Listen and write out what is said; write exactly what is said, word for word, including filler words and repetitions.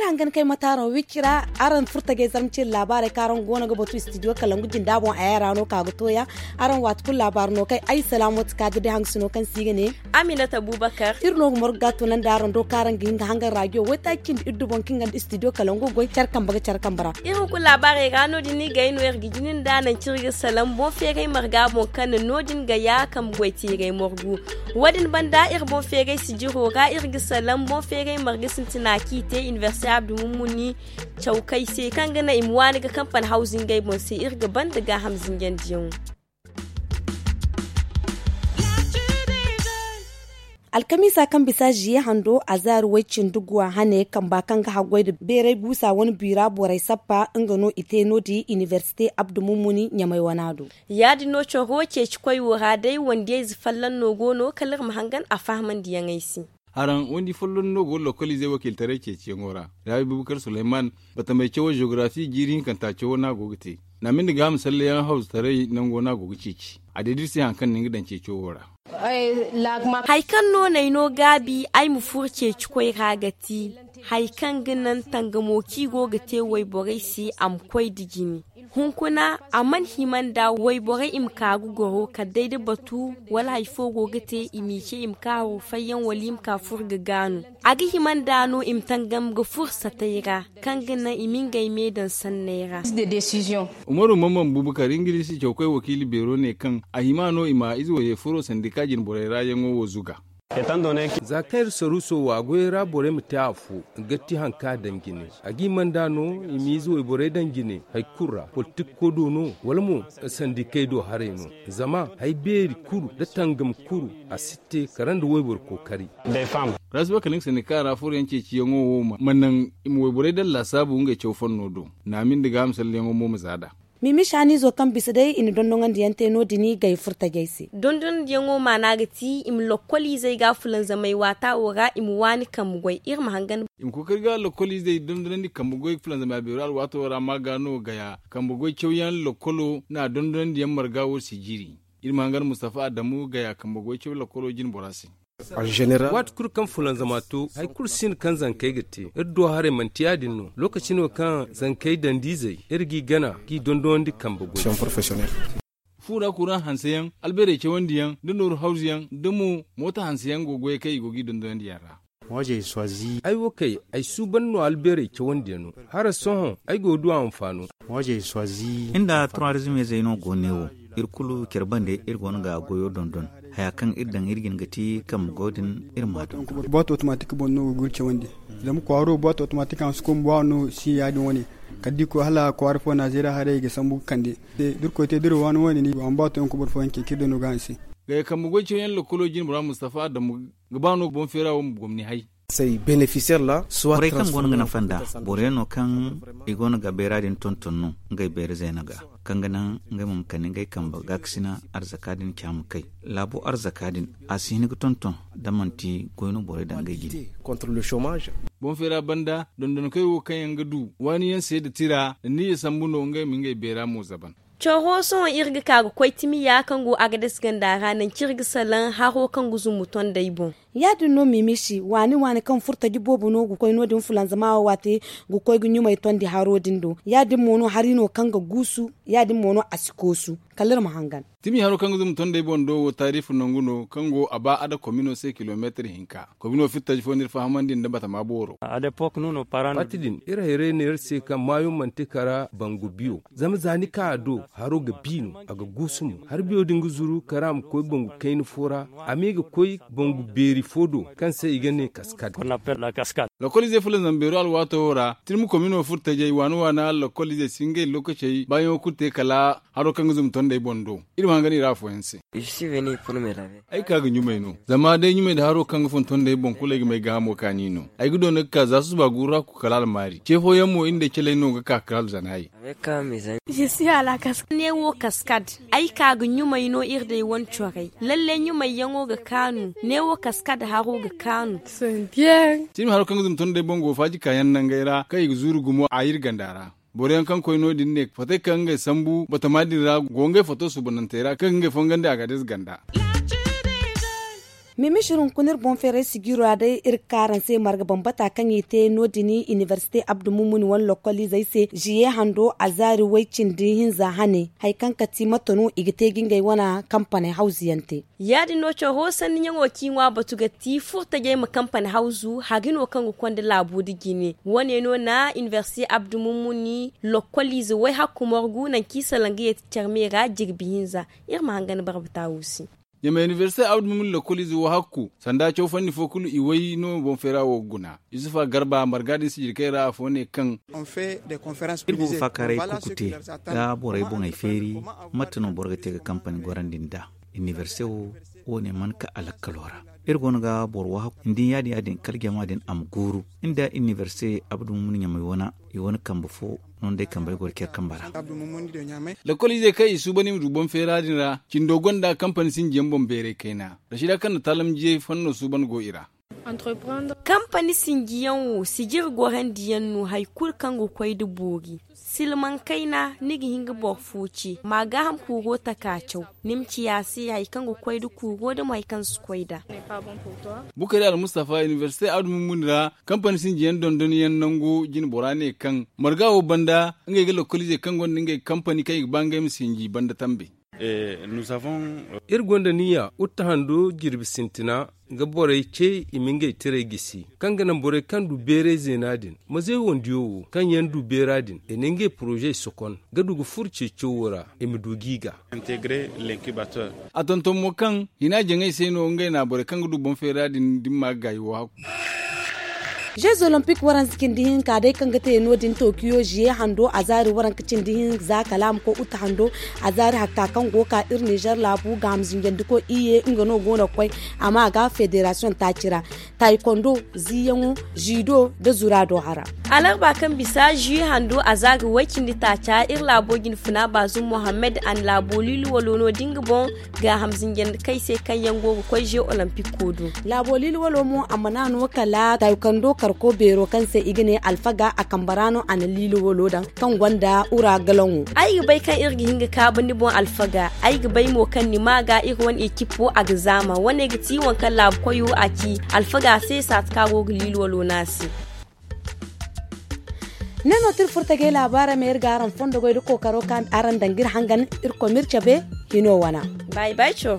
Hangan kay mataaro wicci ra, araŋ furtajey zarma cire laabaarey kaŋ araŋ go no ga batu istidiyo kalangu jinda boŋ a yaŋ ra no ka ga tooya. Araŋ waati kulu laabaaro no kay ay salaamo ti ka ga day hangasino kaŋ se i ga ne. Aminata bubakar. Iri no ga margu ga tunandi araŋ do kaŋ araŋ ga hin ga hangan raajiyo waytaaci cindi iddu boŋ kaŋ ga nda istidiyo kalangu goy care kambe ga care kambe ra. Iri hunkuna laabaarey ra no- din no i ga ay no iri ga jina nda nanci iri ga salaŋ boŋ feeray marga boŋ kaŋ na no- din ga ya kambe goy teeray margu. Wo- din banda iri boŋ feeray sijiro ra iri ga salaŋ boŋ feeray marga sintina kaŋ i te inibersite abdu mummuni cawkay se kaŋ ga naŋ i ma waani ga kampani hawzu ngey boŋ se iri ga banda gaaham zinjandiyaŋo. Alkamiisa kaŋ bisa ziye hando azaari way-cindi guwa hane kamba kaŋ ga haggoy nda beeray guusa wane biira borey sappa nga no i te no- din inibersite abdu mummuni ɲamay wana do. Ya- din no coro ceeci koy wo ra day wandiyayze folloŋ no go no kala iri ma hangan a fahamandiyaŋey se. Haraŋ wandi folloŋ no go ga lokoliizey wakiilitaray ceeciyaŋo ra. Raabi bubakar suleyman, batamey cawo jeogarafi jiiri hinkanta cawo no a go ga te. Naamindi gaaham salleyaŋ hawzetaray nango no a go ga ceeci. A deeda iri se hari kaŋ na nga daŋ ceeco wo ra. Hari kaŋ no n'ay no gaabi ay ma furo ceeci koy ra ga ti hari kaŋ ga naŋ tangamo kaŋ i go ga te wayborey se a ma koy nda jine. Hunkuna a mana hima nda wayborey i ma ka ga goro kala day da batu wala hari fo go ga te i m'i ce i ma ka haro fayyaŋ wala i ma ka furo ga gaanu. A ga hima nda no i ma tangam ga furo satey ra kaŋ ga naŋ i ma ngey me daŋ sanney ra. Umaru mamman bubakar ingilisi cawkoy wakiili beero ne kaŋ a hima no i ma ize waye furo sandika jinborey ra yaŋo wo zuga. Za kaŋ iri saruuso wo a goyey ra borey ma te afo, ga ti hari kaŋ a daŋ jine. A ga hima nda no i ma ize wayborey daŋ jine hari kulu ra politikko do no wala mo sandikey do haray no. Zama hari beeri kulu nda tangam kulu a si te kala nda wayboro kookari. Rasiba kala nga sandika ra furo yaŋ ceeciyaŋo wo ma naŋ i ma wayborey daŋ laasaabu ngey caw fanno do. Naami nda gaaham salleyaŋo mo ma za nd'a. Mimi saaniizo kaŋ bisa day i na dondonandi yaŋ te no- din i gay furtajey se. Dondonandi yaŋo maana ga ti i ma lokkoliizey ga fulanzamay waata wo ra i ma waani kambe goy iri ma hangan. I ma kookari ga lokkoliizey dondonandi kambe goy fulanzamay a beero alwaato ra ma ga no gaya kambe goy cawyaŋ lokkolo na dondonandi yaŋ marga wo si jiiri. Iri ma hangan mustafa adamu gaya kambe goy caw lokkolo jine bora se. Waati kulu kaŋ fulanzama to hari kulu si no kaŋ zankey ga te iri do haray manti ya- din no lookaci no kaŋ zankey dandi izey iri g'i gana g'i dondonandi kambe goy. Fu ra kuraŋ hanseyaŋ albeerey cawandiyaŋ nda nooru hawzuyaŋ nda mo moota hanseyaŋ go goyey kaŋ i go g'i dondonandi yaŋ ra. Ay wo kay ay suuban no albeerey cawandiyaŋo. Hara sohõ ay go ga du a anfaano. Nda troisième zey no go ne wo. Iri kulu care bande iri go no ga goyo dondon. Haya kaŋ iri daŋ iri jin ga ti kambe goy din iri ma dondon. Boîte automatique boŋ no go ga iri cawandi. Zama kwaaro boîte automatique a si koy ma ba no si ya- din wane. Kala da i koy hala kwaara fo na zeera haray i ga sambu ga kande. Da iri koy te da iri waani wane ni go a ma ba to yaŋ koy boro fooyaŋ ce kaŋ iri daŋ no ga a se. Gaya kambe goy cawyaŋ lokkolo jinbora mustafa adamu ga ba no boŋ feera wo ma gomni hay. Borey kaŋ go no ga nafa nd'a boro yaŋ no kaŋ i go no ga bayra din tonton no ngey bayra zayna ga kaŋ ga naŋ ngey mo ma kande ngey kambe gaakasina arzaka din ca ma kay. Laabo arzaka din a si hin ga tonton da manti goy no borey daŋ ngey jine. Boŋ feera banda dondonkoy wo kaŋ yaŋ ga du waani yaŋ se nda tira nda niyya sambu no ngey ma ngey bayra mo zaban. Coro sohõ iri ga ka ga koy timiya kaŋ go agades ganda ra nangu kaŋ iri ga salaŋ haro kaŋ ga zumbu tondey boŋ. Ya- din no mimisi waani waani kaŋ furtaji boobo no ga koy no- din fulanzama wo waate ga koy ga ɲumay tondi haro din do. Ya- din mo no hari no kaŋ ga guusu. Ya- din mo no a si koosu kala iri ma hangan. Timi haro kaŋ ga zumbu tondey boŋ do wo taarifu nangu no kaŋ go a ba ada komino se kilomeetir hinka. Komino fittaji fo no iri fahamandi nda batama booro. Waati din iri hayray ne iri se kaŋ maayo manti kara bangu biyo. Zama za ni ka a do haro ga bi no a ga guusu mo hari biyo din ga zuru kara ma koy bangu kayna fo ra. A me ga koy bangu beeri fo do kaŋ se i ga ne kaskad. Lokoliizey fulanzam beero alwaato wo ra tirmi komino furtajey waana waana lokoliizey si ngey lookacey baayaŋo kulu te kala haro kaŋ ga zumbu tondey boŋ do. Iri ma hangan i ra afooyaŋ se. Ay ka ga ɲumay no zama day ɲumay nda haro kaŋ ga fun tondey boŋ kulu ay ga may gaahamo kaani no. Ay ga doona ga ka za susuba guuru ra ku kala almaari ce fooyaŋ mo iri nda ay caley no ga ka kala alzanaayey. Ne wo kaskad. Ay ka ga ɲumay no iri day wane corey lalle ɲumayyaŋo ga kaanu. Ne wo kaskad haro ga kaanu. Tirmi haro kaŋ ga zumbu tondey boŋ go faaji kaayaŋ nangey ra kaŋ i ga zuuru gumo a iri ganda ra. Boro yaŋ kaŋ koy no- din ne fattey kaŋ ngey sambu batama din ra go ngey fatto suubanantey ra kaŋ ga ngey fongandi a ga adez ganda. Mimišir hunkuna iri boŋ feeray sijiro ra day iri ga ka araŋ se marga bambata kaŋ i te no- din inibersite abdu mumuni wane lokoliizey se ziye hando a zaari way- cindi hinza hane, hari kaŋ kati mate no i ga te ga ngey wane kampaney hawzu yaŋ te. Ya- din no coro sanniyaŋo kaŋ i ŋwa batu ga ti furtajey ma kampaney hawzu hari no kaŋ ga konda laabo nda jine. Wane no na inibersite abdu mumuni lokoliize way- hakku morgu nangu kaŋ i salaŋ ga yeeti care me ra jirbi hinza. Iri ma hangan barbata wo se. Ɲamay inibersite abdu mumuni lokoliize wo- hakku sanda caw fanni fo kulu i way no boŋ feera wo ga guna. Yusufa garba marga din sijirkey ra afo ne kaŋ iri go ga faakaaray kurku te ga borey boŋey feeri. Mate no boro ga te ga kampani gorandi nd'a? Inibersite wo wo ne mana ka a lakkalo ra. Iri go no ga boro wo- hakku nda ya- din ya- din kala jama din a ma guuru nda inibersite abdu mumuni ɲamay wane i wane kambe fo no nda ay kambey go ga care kambe ra. Lokoliizey kaŋ i suuban i ma du boŋ feera din ra cindo gonda kampani sinjiyaŋ boŋ beeray kayna. Rashida kaŋ na taalamjiyey fanno suuban go i ra. Kampani sinjiyaŋ wo sijiri gorandiyaŋ no hari kulu kaŋ ga koy nda boori. Silmaŋ kayna ni ga hin ga boro fo ce ma gaaham kuuro taka caw. Ni ma ciya a se hari kaŋ ga koy nda kuuro nda mo hari kaŋ si koy nd'a. Bukari almustafa inibersite abdu mumuni ra kampani sinjiyaŋ dondonyaŋ nango jine bora ne kaŋ marga wo banda ngey ga lokoliizey kaŋ gonda ngey kampani kaŋ i ga ba ngey ma sinji banda tambe. Iri gonda niya utta hando jirbi sintina ga borey ce i ma ngey tirey gisi kaŋ ga naŋ borey kaŋ du beeray zeena din ma zay wandiyo wo kaŋ yaŋ du beera din i na ngey poroze sokon ga du ga furo ceeciyo wo ra i ma du g'i ga. A tonton mo kaŋ hina jaŋay se no ngey na borey kaŋ ga du boŋ feera din dimma ga gaayi wo hakku. Jeux olympique waranza cindi hinka day kaŋ ga te no- din tokiyo ziye hando a zaari waranka cindi hinza kala a ma koy uta hando a zaari hakka kaŋ go ga ka iri nizer laabu ga hamzinjandiko iye nga no go no ga koy. Amma a ga federasiyoŋ taaci ra, taikondo, ziiyaŋo, ziido nda zuraado hara. Alarba kaŋ bisa zui hando a zaari way- cindi taaca iri laabo jinfuna baazum mohammed a na laabo liili walo no da nga boŋ ga hamzinjandi kay se kaŋ yaŋ go ga koy ze olympico do. Laabo liili walo mo a mana no kala taykando karko beero kaŋ se i ga ne alfaga a kambe ra no a na liili walo daŋ kaŋ gonda ura galaŋo. Ay ga bay kaŋ iri ga hin ga kaabu ni boŋ alfaga. Ay ga bay mo kaŋ ni ma ga iri wane ekip wo a ga zaama wane ga ti waŋ kaŋ laabu koyo a ci alfaga se saati kaŋ a go ga liili walo no a se. Ne no tira furtagay laabaarey ma iri ga araŋ fondo goy da kookaro kaŋ araŋ daŋ ga iri hangan. Iri koy ma iri cabe hino wana. Bay bay coro.